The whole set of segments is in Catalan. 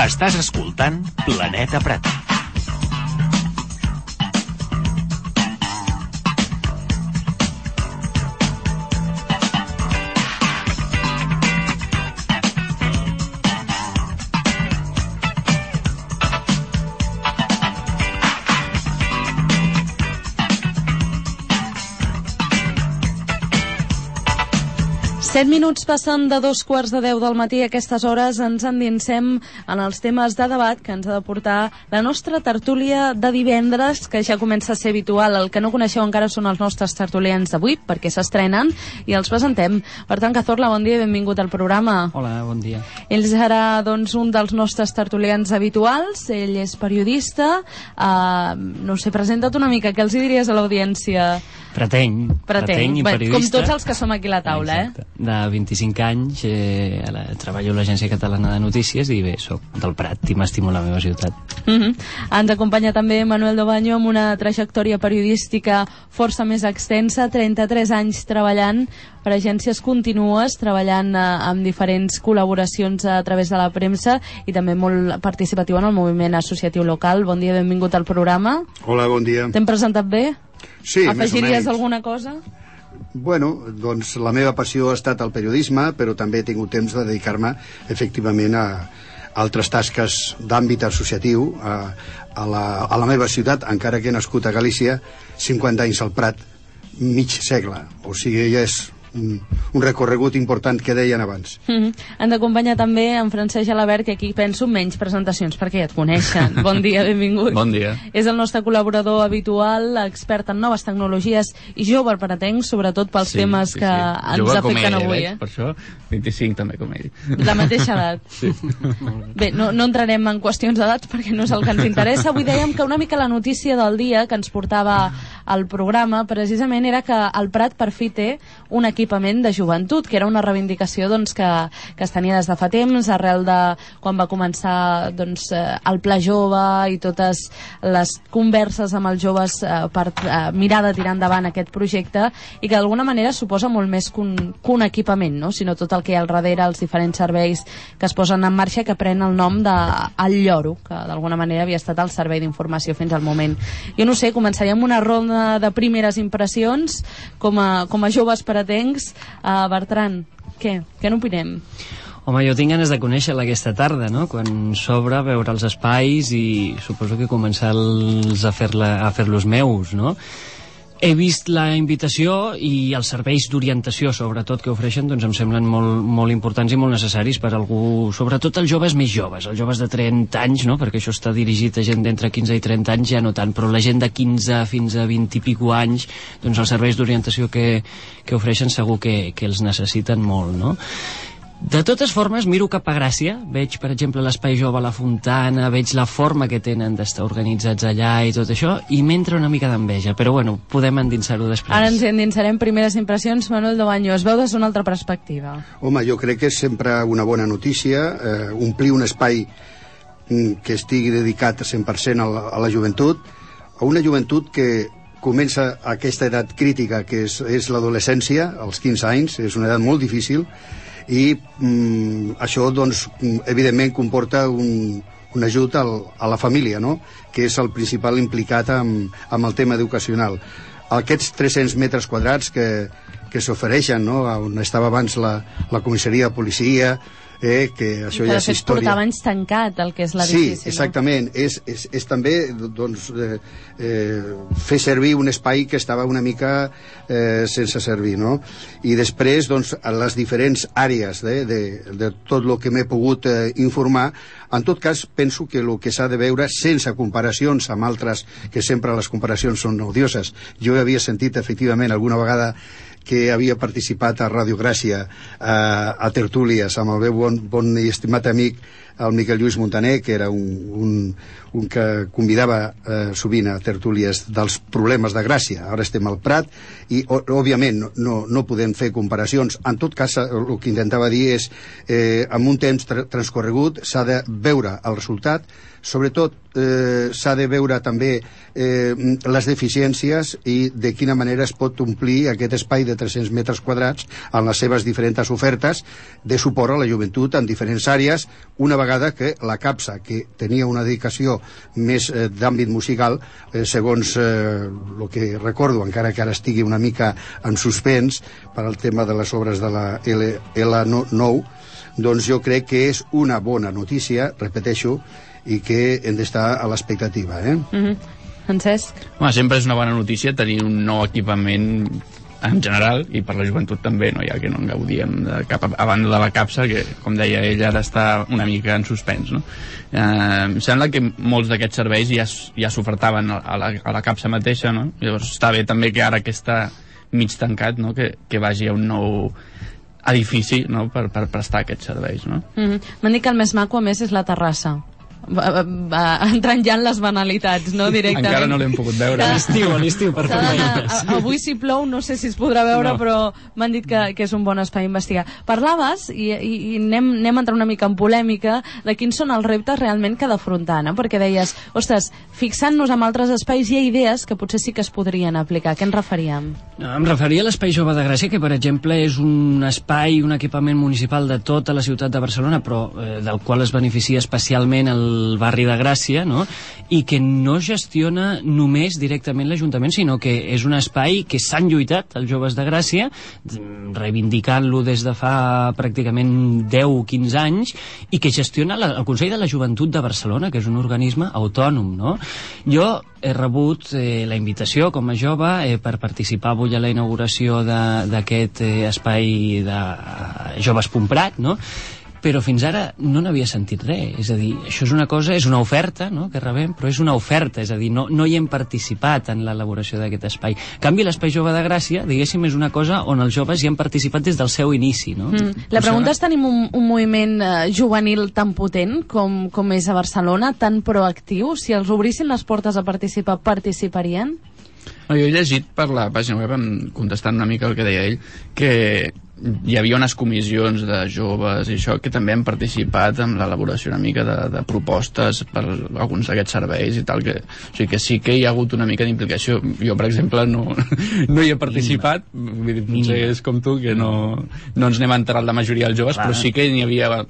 Estàs escoltant Planeta Prat. Set minuts passen de 2:15 del matí. A aquestes hores ens endinsem en els temes de debat que ens ha de portar la nostra tertúlia de divendres, que ja comença a ser habitual. El que no coneixeu encara són els nostres tertulians d'avui, perquè s'estrenen i els presentem. Per tant, Cazorla, bon dia i benvingut al programa. Hola, bon dia. Ell serà, doncs, un dels nostres tertulians habituals. Ell és periodista. No sé, presenta't una mica. Què els diries a l'audiència? Preteny i periodista. Com tots els que som aquí a la taula, exacte. De 25 anys, treballo a l'Agència Catalana de Notícies i bé, soc del Prat i m'estimo la meva ciutat. Ens acompanya també Manuel Dobaño amb una trajectòria periodística força més extensa, 33 anys treballant per agències contínues, treballant amb diferents col·laboracions a través de la premsa i també molt participatiu en el moviment associatiu local. Bon dia, benvingut al programa. Hola, bon dia. T'hem presentat bé? Sí, afegiries alguna cosa? Bueno, doncs la meva passió ha estat el periodisme, però també he tingut temps de dedicar-me efectivament a altres tasques d'àmbit associatiu a la meva ciutat, encara que he nascut a Galícia, 50 anys al Prat, mig segle, o sigui, ja és un recorregut important que deien abans. Ens acompanya també en Francesc Gelabert, i aquí penso menys presentacions perquè ja et coneixen. Bon dia, benvingut. Bon dia. És el nostre col·laborador habitual, expert en noves tecnologies i jove pratenc, sobretot pels temes que ens afecten avui. Per això, 25 també com ell. La mateixa edat. Sí. Bé, no entrarem en qüestions d'edats perquè no és el que ens interessa. Avui dèiem que una mica la notícia del dia que ens portava al programa precisament era que el Prat per fi té un equipament de joventut, que era una reivindicació doncs, que es tenia des de fa temps, arrel de quan va començar doncs, el Pla Jove i totes les converses amb els joves per mirar de tirar endavant aquest projecte, i que d'alguna manera suposa molt més que un equipament, no? Sinó tot el que hi ha al darrere, els diferents serveis que es posen en marxa, que pren el nom del Lloro, que d'alguna manera havia estat el servei d'informació fins al moment. Jo no sé, començaríem una ronda de primeres impressions com a joves pratencs. Bertran, què n'opinem? Home, jo tinc ganes de conèixer-la aquesta tarda, no? Quan s'obre, veure els espais i suposo que començar-los a fer-los meus, no? He vist la invitació i els serveis d'orientació, sobretot, que ofereixen, doncs em semblen molt, molt importants i molt necessaris per algú, sobretot els joves més joves, els joves de 30 anys, no? Perquè això està dirigit a gent d'entre 15 i 30 anys, ja no tant, però la gent de 15 fins a 20 i pico anys, doncs els serveis d'orientació que ofereixen segur que els necessiten molt, no? De totes formes, miro cap a Gràcia, veig, per exemple, l'Espai Jove a la Fontana, veig la forma que tenen d'estar organitzats allà i tot això, i m'entra una mica d'enveja, però bueno, podem endinsar-ho després. Ara ens endinsarem. Primeres impressions, Manuel Dobaño, es veu des d'una altra perspectiva. Home, jo crec que és sempre una bona notícia omplir un espai que estigui dedicat 100% a la joventut, a una joventut que comença aquesta edat crítica, que és l'adolescència, als 15 anys, és una edat molt difícil, i això doncs evidentment comporta un ajut a la família, no? Que és el principal implicat amb el tema educacional. Aquests 300 metres quadrats que s'ofereixen, no? On estava abans la comissaria de policia, que això ja és història. Portava anys tancat el que és l'edifici. Sí, exactament. És també doncs, fer servir un espai que estava una mica sense servir, no? I després, doncs, les diferents àrees de tot el que m'he pogut informar, en tot cas, penso que el que s'ha de veure, sense comparacions amb altres, que sempre les comparacions són odioses. Jo havia sentit, efectivament, alguna vegada que havia participat a Ràdio Gràcia a tertúlies amb el meu bon i estimat amic el Miquel Lluís Montaner, que era un que convidava sovint a tertúlies dels problemes de Gràcia. Ara estem al Prat i òbviament no podem fer comparacions. En tot cas, el que intentava dir és amb un temps transcorregut s'ha de veure el resultat, sobretot s'ha de veure també les deficiències i de quina manera es pot omplir aquest espai de 300 metres quadrats en les seves diferents ofertes de suport a la joventut en diferents àrees, una vegada que la capsa, que tenia una dedicació més d'àmbit musical, segons el que recordo, encara que ara estigui una mica en suspens per al tema de les obres de la L9, doncs jo crec que és una bona notícia, repeteixo, i que hem d'estar a l'expectativa. Francesc? Home, sempre és una bona notícia tenir un nou equipament en general, i per la joventut també, no? Ja que no en gaudíem de cap a banda de la capsa, que, com deia ell, ara està una mica en suspens, no? Em sembla que molts d'aquests serveis ja s'ofertaven a la capsa mateixa, no? Llavors està bé també que ara que està mig tancat, no? Que vagi a un nou edifici, no? per prestar aquests serveis, no? M'han dit que el més maco, a més, és la terrassa. Entrant ja en les banalitats, no? Directament. Encara no l'hem pogut veure. A l'estiu, per favor. Avui si plou, no sé si es podrà veure, no. Però m'han dit que és un bon espai a investigar. Parlaves, i anem a entrar una mica en polèmica, de quins són els reptes realment que ha d'afrontar, no? Perquè deies, ostres, fixant-nos en altres espais hi ha idees que potser sí que es podrien aplicar. Què ens referíem? No, em referia a l'Espai Jove de Gràcia, que per exemple és un espai, un equipament municipal de tota la ciutat de Barcelona, però del qual es beneficia especialment el barri de Gràcia, no? I que no gestiona només directament l'Ajuntament, sinó que és un espai que s'han lluitat els joves de Gràcia, reivindicant-lo des de fa pràcticament 10 o 15 anys, i que gestiona el Consell de la Joventut de Barcelona, que és un organisme autònom, no? Jo he rebut la invitació com a jove per participar avui a la inauguració d'aquest espai de Joves Pumprat, no? Però fins ara no n'havia sentit res. És a dir, això és una cosa, és una oferta, no?, que rebem, però és una oferta, és a dir, no hi hem participat en l'elaboració d'aquest espai. En canvi, l'Espai Jove de Gràcia, diguéssim, és una cosa on els joves hi han participat des del seu inici, no? La pregunta és, tenim un moviment juvenil tan potent com és a Barcelona, tan proactiu? Si els obrissin les portes a participar, participarien? No, jo he llegit per la pàgina web, contestant una mica el que deia ell, que hi havia unes comissions de joves i això que també han participat en l'elaboració una mica de propostes per alguns d'aquests serveis i tal, o sigui que sí que hi ha hagut una mica d'implicació. Jo, per exemple, no hi he participat, vull dir, potser és com tu, que no ens n'hem enterat la majoria dels joves, però sí que n'hi havia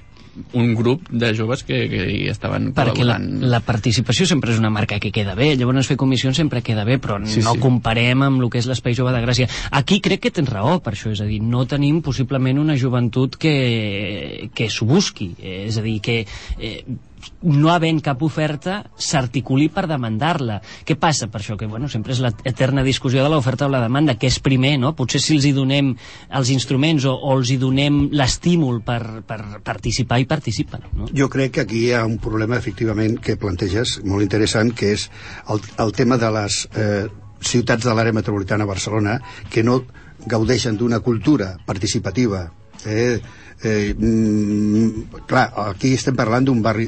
un grup de joves que hi estaven col·laborant. Perquè la participació sempre és una marca que queda bé, llavors fer comissions sempre queda bé, però no comparem amb el que és l'Espai Jove de Gràcia. Aquí crec que tens raó per això, és a dir, no tenim possiblement una joventut que s'ho busqui, és a dir, que no havent cap oferta s'articuli per demandar-la. Què passa per això? Que bueno, sempre és l'eterna discussió de l'oferta o la demanda, que és primer, no? Potser si els hi donem els instruments o els hi donem l'estímul per participar, i participen, no? Jo crec que aquí hi ha un problema, efectivament, que planteges, molt interessant, que és el tema de les ciutats de l'àrea metropolitana de Barcelona que no gaudeixen d'una cultura participativa. Clar, aquí estem parlant d'un barri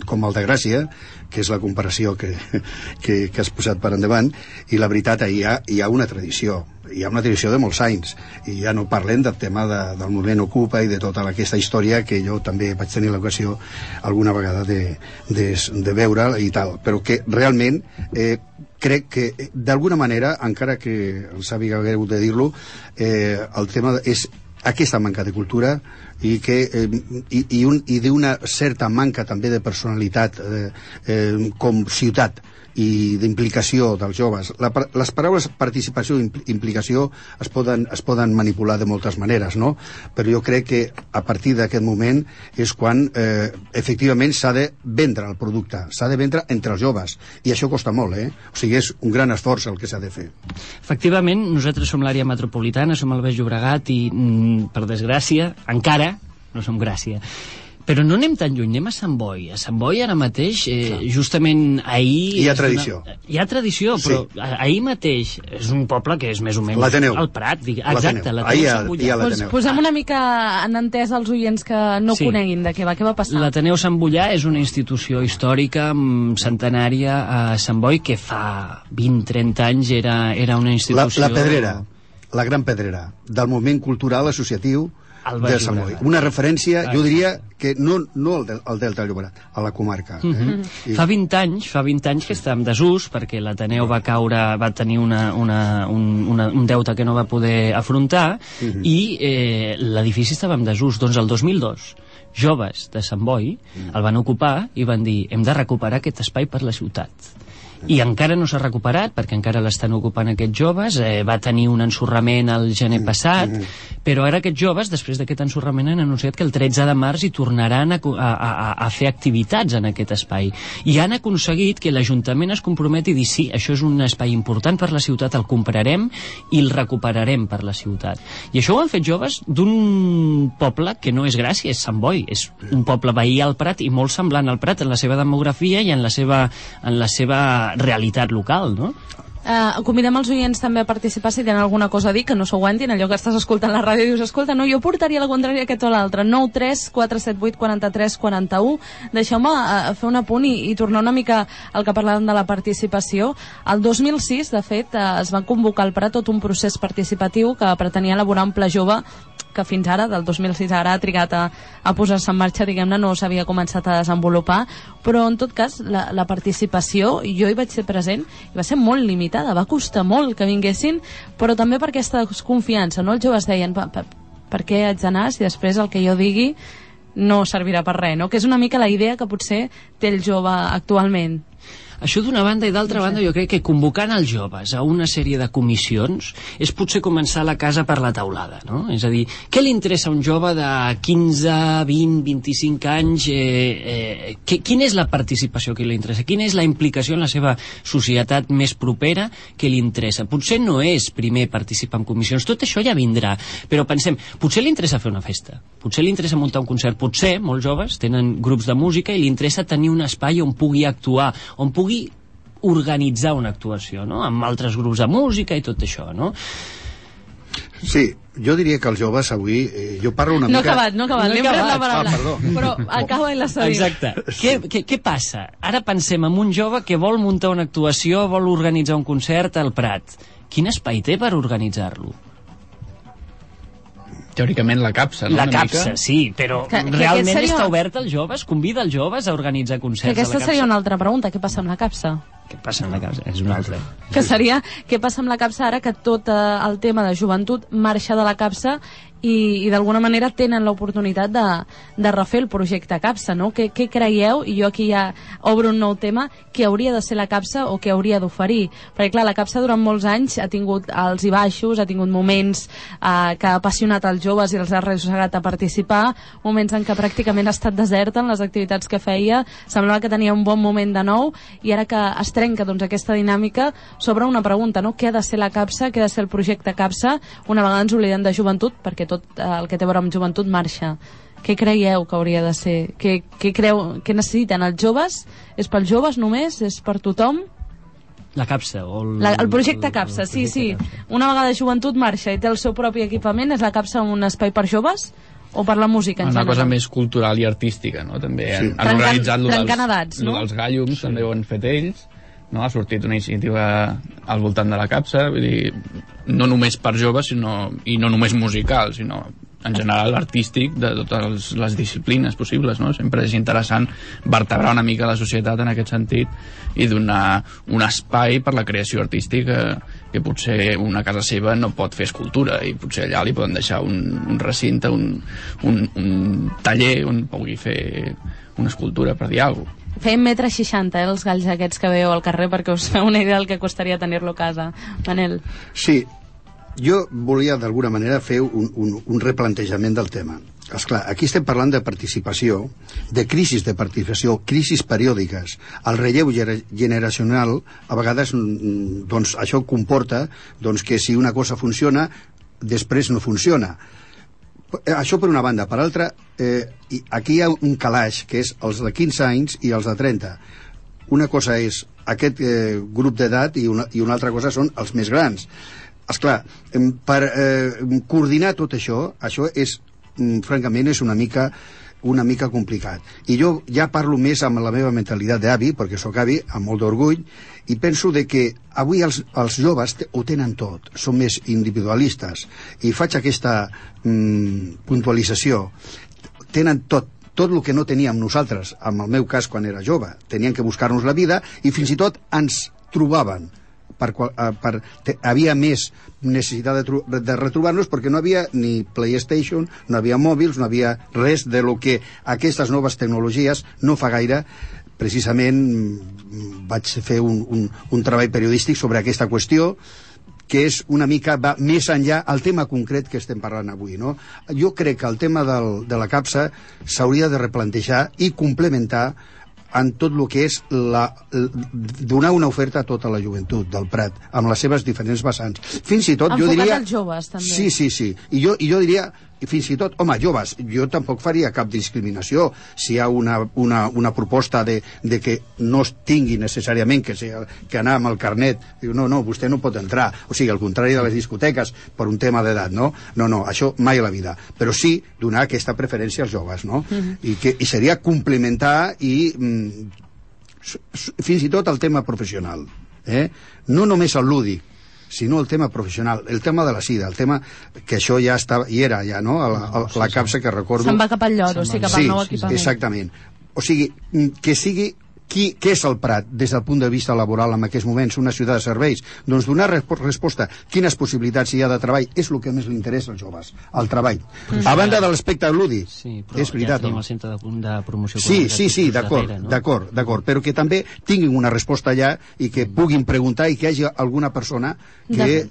com el de Gràcia, que és la comparació que has posat per endavant, i la veritat, hi ha una tradició, hi ha una tradició de molts anys, i ja no parlem del tema del moviment Ocupa i de tota aquesta història que jo també vaig tenir l'ocasió alguna vegada de veure i tal, però que realment crec que d'alguna manera, encara que em sàpiga greu de dir-lo, el tema és aquesta manca de cultura i d'una certa manca també de personalitat com ciutat i d'implicació dels joves. Les paraules participació i implicació es poden manipular de moltes maneres, no? Però jo crec que a partir d'aquest moment és quan efectivament s'ha de vendre el producte, s'ha de vendre entre els joves, i això costa molt, o sigui, és un gran esforç el que s'ha de fer. Efectivament, nosaltres som l'àrea metropolitana, som el Baix Llobregat i, per desgràcia, encara no som Gràcia. Però no anem tan lluny, anem a Sant Boi. A Sant Boi ara mateix, justament ahir... Hi ha tradició. Hi ha tradició, però ahir mateix és un poble que és més o menys al Prat. Exacte, l'Ateneu Sant Bullà. Posem una mica en entès als oients que no coneguin de què va passar. L'Ateneu Sant Bullà és una institució històrica centenària a Sant Boi que fa 20-30 anys era una institució... La Pedrera, la Gran Pedrera, del moviment cultural associatiu de Sant Boi. Una referència, jo diria, que no al Delta del Llobregat, a la comarca. Fa 20 anys que està en desús, perquè l'Ateneu va tenir un deute que no va poder afrontar, i l'edifici estava en desús. Doncs el 2002, joves de Sant Boi el van ocupar i van dir: hem de recuperar aquest espai per la ciutat. I encara no s'ha recuperat, perquè encara l'estan ocupant aquests joves. Va tenir un ensorrament el gener passat, però ara aquests joves, després d'aquest ensorrament, han anunciat que el 13 de març hi tornaran a fer activitats en aquest espai, i han aconseguit que l'Ajuntament es comprometi a dir: sí, això és un espai important per la ciutat, el comprarem i el recuperarem per la ciutat. I això ho han fet joves d'un poble que no és Gràcia, és Sant Boi, és un poble veí al Prat i molt semblant al Prat en la seva demografia i en la seva realitat local, no? Convidem els oients també a participar si tenen alguna cosa a dir, que no s'ho aguantin, allò que estàs escoltant la ràdio i dius: escolta, no, jo portaria la contrària aquest o l'altre. 9 3 4 7 8 43 41. Deixeu-me fer un apunt i tornar una mica al que parlàvem de la participació. El 2006, de fet, es va convocar al Prat tot un procés participatiu que pretenia elaborar un pla jove que fins ara, del 2006 ara, ha trigat a posar-se en marxa, diguem-ne, no s'havia començat a desenvolupar, però en tot cas la participació, jo hi vaig ser present, i va ser molt limitada, va costar molt que vinguessin, però també per aquesta desconfiança, no? Els joves deien: per què haig d'anar si després el que jo digui no servirà per res, no? Que és una mica la idea que potser té el jove actualment. Això d'una banda, i d'altra banda jo crec que convocant els joves a una sèrie de comissions és potser començar la casa per la teulada, no? És a dir, què li interessa a un jove de 15, 20, 25 anys? Quina és la participació que li interessa? Quina és la implicació en la seva societat més propera que li interessa? Potser no és primer participar en comissions, tot això ja vindrà, però pensem, potser li interessa fer una festa, potser li interessa muntar un concert, potser molts joves tenen grups de música i li interessa tenir un espai on pugui actuar, on pugui organitzar una actuació, no? Amb altres grups de música i tot això, no? Sí, jo diria que els joves avui... jo parlo una mica... No ha acabat, li hem pres la paraula. Però acaba i la sabia. Exacte. Què passa? Ara pensem en un jove que vol muntar una actuació, vol organitzar un concert al Prat. Quin espai té per organitzar-lo? Teòricament la CAPSA, no? La CAPSA, sí, però realment està oberta als joves? Convida els joves a organitzar concerts a la CAPSA? Aquesta seria una altra pregunta. Què passa amb la CAPSA? Què passa amb la CAPSA? És una altra. Que seria, què passa amb la CAPSA ara que tot el tema de joventut marxa de la CAPSA i d'alguna manera tenen l'oportunitat de refer el projecte CAPSA, no? Què creieu, i jo aquí ja obro un nou tema, que hauria de ser la CAPSA o que hauria d'oferir? Perquè clar, la CAPSA durant molts anys ha tingut alts i baixos, ha tingut moments que ha apassionat els joves i els ha arrossegat a participar, moments en què pràcticament ha estat deserta en les activitats que feia, semblava que tenia un bon moment de nou, i ara que es trenca doncs aquesta dinàmica, s'obre una pregunta, no? Què ha de ser la CAPSA, què ha de ser el projecte CAPSA? Una vegada ens oblidem de joventut, perquè tot el que té a veure amb joventut marxa. Què creieu que hauria de ser? Què necessiten els joves? És pels joves només? És per tothom? La CAPSA o el projecte CAPSA, sí. Una vegada joventut marxa i té el seu propi equipament, és la CAPSA un espai per joves? O per la música en general? Una cosa més cultural i artística, no? També han organitzat dels Gallums, també ho han fet ells, no? Ha sortit una iniciativa al voltant de la CAPSA, vull dir, no només per joves, i no només musical, sinó en general artístic, de totes les disciplines possibles, no? Sempre és interessant vertebrar una mica la societat en aquest sentit i donar un espai per la creació artística que potser una casa seva no pot fer escultura, i potser allà li poden deixar un recinte, un taller on pugui fer una escultura, per dir alguna cosa. Feien 1,60 m, els galls aquests que veieu al carrer, perquè us feu una idea del que costaria tenir-lo a casa. Manel. Sí, jo volia d'alguna manera fer un replantejament del tema. Esclar, aquí estem parlant de participació, de crisis de participació, crisis periòdiques. El relleu generacional, a vegades, doncs, això comporta doncs, que si una cosa funciona, després no funciona. Això per una banda. Per altra, aquí hi ha un calaix, que és els de 15 anys i els de 30. Una cosa és aquest grup d'edat i una altra cosa són els més grans. Esclar, per coordinar tot això és, francament, és una mica una mica complicat. I jo ja parlo més amb la meva mentalitat d'avi, perquè sóc avi, amb molt d'orgull, i penso de que avui els joves ho tenen tot, són més individualistes, i faig aquesta puntualització. Tenen tot el que no teníem nosaltres, en el meu cas quan era jove. Teníem que buscar-nos la vida i fins i tot ens trobaven. Havia més necessitat de retrobar-nos perquè no havia ni PlayStation, no havia mòbils, no havia res de lo que aquestes noves tecnologies no fa gaire. Precisament vaig fer un treball periodístic sobre aquesta qüestió, que és una mica, va més enllà al tema concret que estem parlant avui, no? Jo crec que el tema de la capsa s'hauria de replantejar i complementar en tot el que és donar una oferta a tota la joventut del Prat, amb les seves diferents vessants. Fins i tot, jo diria... Enfocat als joves, també. Sí. I jo diria, fins i tot, home, joves, jo tampoc faria cap discriminació si hi ha una proposta de que no es tingui necessàriament que anar amb el carnet. Diu, no, vostè no pot entrar. O sigui, al contrari de les discoteques, per un tema d'edat, no? No, això mai a la vida. Però sí donar aquesta preferència als joves, no? I seria complementar i fins i tot el tema professional. No només el lúdic, sinó el tema professional, el tema de la sida, el tema que això ja estava, i era ja, no? La capsa que recordo... Se'n va cap al lloro, o sigui, cap al nou equipament. Sí, exactament. O sigui, que sigui... Què és el Prat des del punt de vista laboral en aquests moments, una ciutat de serveis? Doncs donar resposta quines possibilitats hi ha de treball és el que més li interessa als joves, el treball. A banda de l'aspecte lúdic, és veritat. Ja tenim el centre de promoció. Sí, d'acord, però que també tinguin una resposta allà i que puguin preguntar i que hi hagi alguna persona que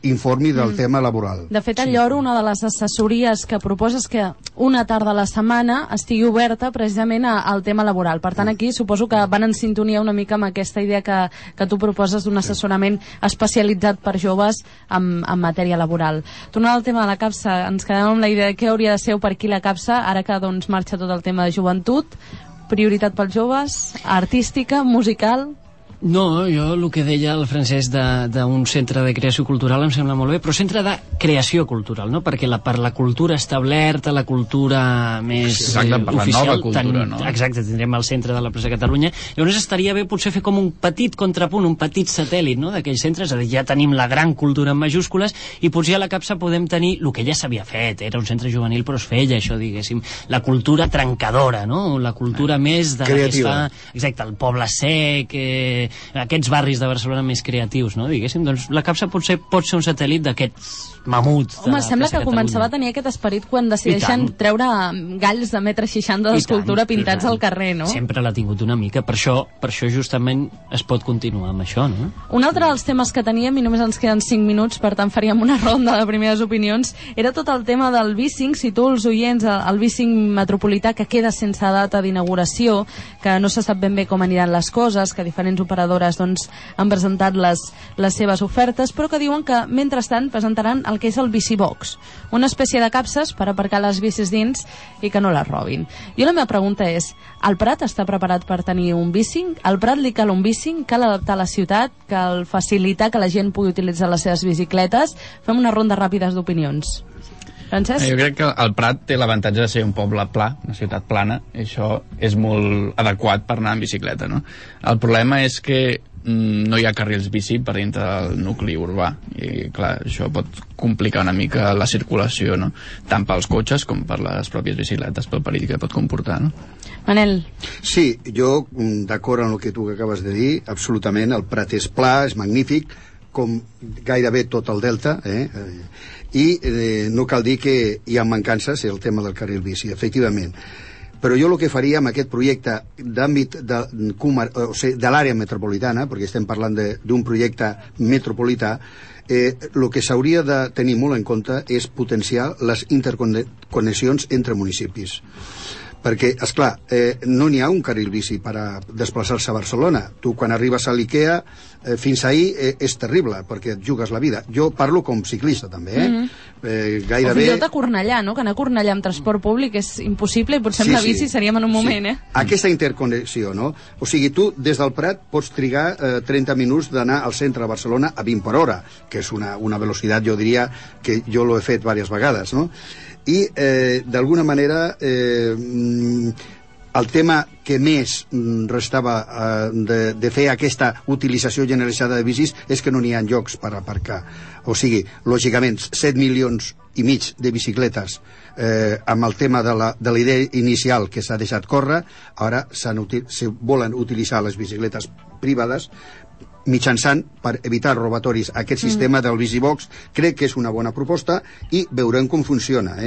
informi del tema laboral. De fet, al lloro, una de les assessories que proposa és que una tarda a la setmana estigui oberta precisament al tema laboral. Per tant, aquí suposo que van en sintonia una mica amb aquesta idea que tu proposes d'un assessorament especialitzat per joves en matèria laboral. Tornant al tema de la capsa, ens quedem amb la idea de què hauria de ser o per qui la capsa, ara que doncs marxa tot el tema de joventut, prioritat pels joves, artística, musical... No, jo el que deia el Francesc d'un centre de creació cultural em sembla molt bé, però centre de creació cultural, no? Perquè per la cultura establerta, la cultura més exacte, per oficial... la nova cultura, no? Exacte, tindrem el centre de la Plaça Catalunya. Llavors estaria bé potser fer com un petit contrapunt, un petit satèl·lit, no?, d'aquells centres, és a dir, ja tenim la gran cultura en majúscules i potser a la capsa podem tenir el que ja s'havia fet, era un centre juvenil, però es feia això, diguéssim, la cultura trencadora, no?, la cultura més de creativa. Exacte, el poble sec... aquests barris de Barcelona més creatius, no? Diguéssim, doncs la capsa potser pot ser un satèl·lit d'aquests mamuts de Home, sembla que començava a tenir aquest esperit quan decideixen treure galls de 1,60 m d'escultura pintats al carrer, no? Sempre l'ha tingut una mica, per això justament es pot continuar amb això, no? Un altre dels temes que teníem, i només ens queden 5 minuts, per tant faríem una ronda de primeres opinions, era tot el tema del B5, si tu els oients, el B5 metropolità que queda sense data d'inauguració, que no se sap ben bé com aniran les coses, que diferents operadores doncs, han presentat les seves ofertes, però que diuen que mentrestant presentaran el que és el Bicibox, una espècie de capses per aparcar les bicis dins i que no les robin. Jo la meva pregunta és, el Prat està preparat per tenir un B5? Al Prat li cal un B5? Cal adaptar la ciutat? Cal facilitar que la gent pugui utilitzar les seves bicicletes? Fem una ronda ràpides d'opinions. Francesc? Jo crec que el Prat té l'avantatge de ser un poble pla, una ciutat plana, i això és molt adequat per anar en bicicleta, no? El problema és que no hi ha carrils bici per dintre del nucli urbà i clar, això pot complicar una mica la circulació, no? Tant pels cotxes com per les pròpies bicicletes, pel perill que pot comportar, no? Manel? Sí, jo d'acord amb el que tu acabes de dir, absolutament, el Prat és pla, és magnífic, com gairebé tot el delta, i no cal dir que hi ha mancances, el tema del carril bici, efectivament. Però jo el que faria amb aquest projecte d'àmbit de l'àrea metropolitana, perquè estem parlant d'un projecte metropolità, el que s'hauria de tenir molt en compte és potenciar les interconnexions entre municipis. Perquè, esclar, no n'hi ha un carril bici per a desplaçar-se a Barcelona. Tu, quan arribes a l'Ikea, fins ahir és terrible, perquè et jugues la vida. Jo parlo com ciclista, també, gairebé... O fins i tot a Cornellà, no? Que anar a Cornellà amb transport públic és impossible i potser amb la bici seríem en un moment, Aquesta interconnexió, no? O sigui, tu, des del Prat, pots trigar 30 minuts d'anar al centre de Barcelona a 20 per hora, que és una velocitat, jo diria, que jo l'he fet diverses vegades, no? I d'alguna manera el tema que més restava de fer aquesta utilització generalitzada de bicis és que no n'hi ha llocs per aparcar. O sigui, lògicament, 7 milions i mig de bicicletes amb el tema de la idea inicial que s'ha deixat córrer, ara se volen utilitzar les bicicletes privades mitjançant, per evitar robatoris, aquest sistema del Bicibox. Crec que és una bona proposta i veurem com funciona,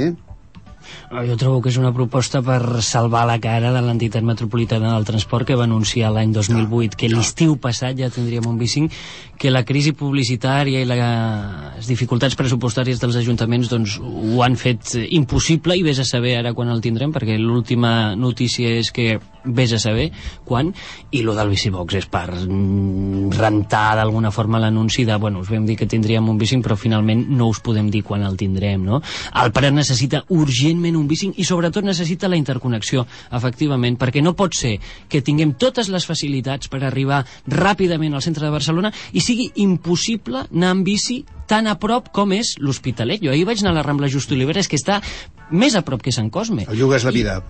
Jo trobo que és una proposta per salvar la cara de l'entitat metropolitana del transport, que va anunciar l'any 2008 que l'estiu passat ja tindríem un bicing, que la crisi publicitària i les dificultats pressupostàries dels ajuntaments doncs ho han fet impossible, i vés a saber ara quan el tindrem, perquè l'última notícia és que vés a saber quan. I lo del Bicibox és per rentar d'alguna forma l'anunci de, bueno, us vam dir que tindríem un bicing però finalment no us podem dir quan el tindrem, no? El Prat necessita urgentment un bicing i sobretot necessita la interconnexió, efectivament, perquè no pot ser que tinguem totes les facilitats per arribar ràpidament al centre de Barcelona i sigui impossible anar amb bici tan a prop com és l'Hospitalet. Jo ahir vaig anar a la Rambla Just Oliveres, que està més a prop que Sant Cosme. Et jugues la vida.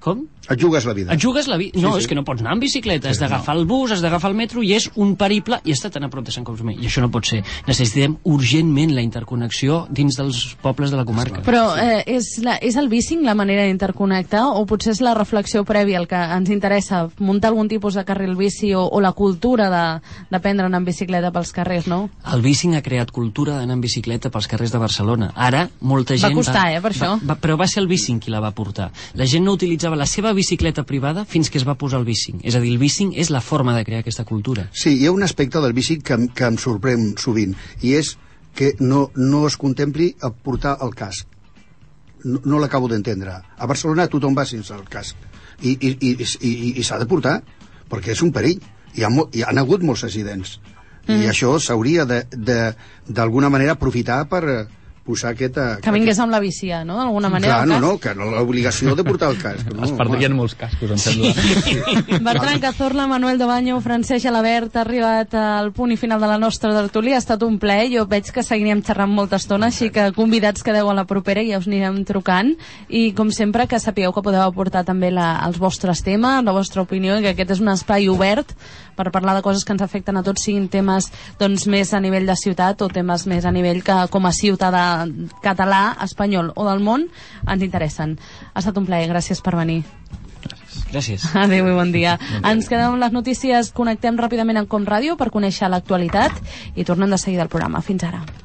Com? Et jugues la vida. Et jugues la vida. No, és que no pots anar amb bicicleta, has d'agafar el bus, has d'agafar el metro, i és un periple i està tan a prop de Sant Cosme. I això no pot ser. Necessitem urgentment la interconnexió dins dels pobles de la comarca. Però és el bicing la manera d'interconnectar, o potser és la reflexió prèvia el que ens interessa, muntar algun tipus de carril bici o la cultura d'aprendre a anar en bicicleta pels carrers, no? El bicing ha creat cultura d'anar en bicicleta pels carrers de Barcelona. Ara, molta gent... Va costar, per això. Però va ser el bicing qui la va portar. La gent no utilitzava la seva bicicleta privada fins que es va posar el bicing. És a dir, el bicing és la forma de crear aquesta cultura. Sí, hi ha un aspecte del bicing que em sorprèn sovint, i és que no es contempli a portar el casc. No l'acabo d'entendre. A Barcelona tothom va sense el casc. I s'ha de portar, perquè és un perill. Hi han hagut molts accidents. I això s'hauria d'alguna manera aprofitar per posar aquesta... Que vingués amb la bici, no? D'alguna manera. Clar, que no l'obligació de portar el casc. Es perdrien molts cascos, em sembla. Bertran Cazorla, Manuel Dobaño, Francesc Gelabert, ha arribat al punt i final de la nostra tertúlia. Ha estat un plaer. Jo veig que seguiríem xerrant molta estona, així que convidats quedeu a la propera i ja us anirem trucant. I, com sempre, que sapigueu que podeu aportar també els vostres temes, la vostra opinió, i que aquest és un espai obert per parlar de coses que ens afecten a tots, siguin temes doncs, més a nivell de ciutat o temes més a nivell que, com a ciutadà català, espanyol o del món, ens interessen. Ha estat un plaer, gràcies per venir. Gràcies. Adéu i bon dia. Ens quedem amb les notícies, connectem ràpidament amb Com Ràdio per conèixer l'actualitat i tornem de seguida al programa. Fins ara.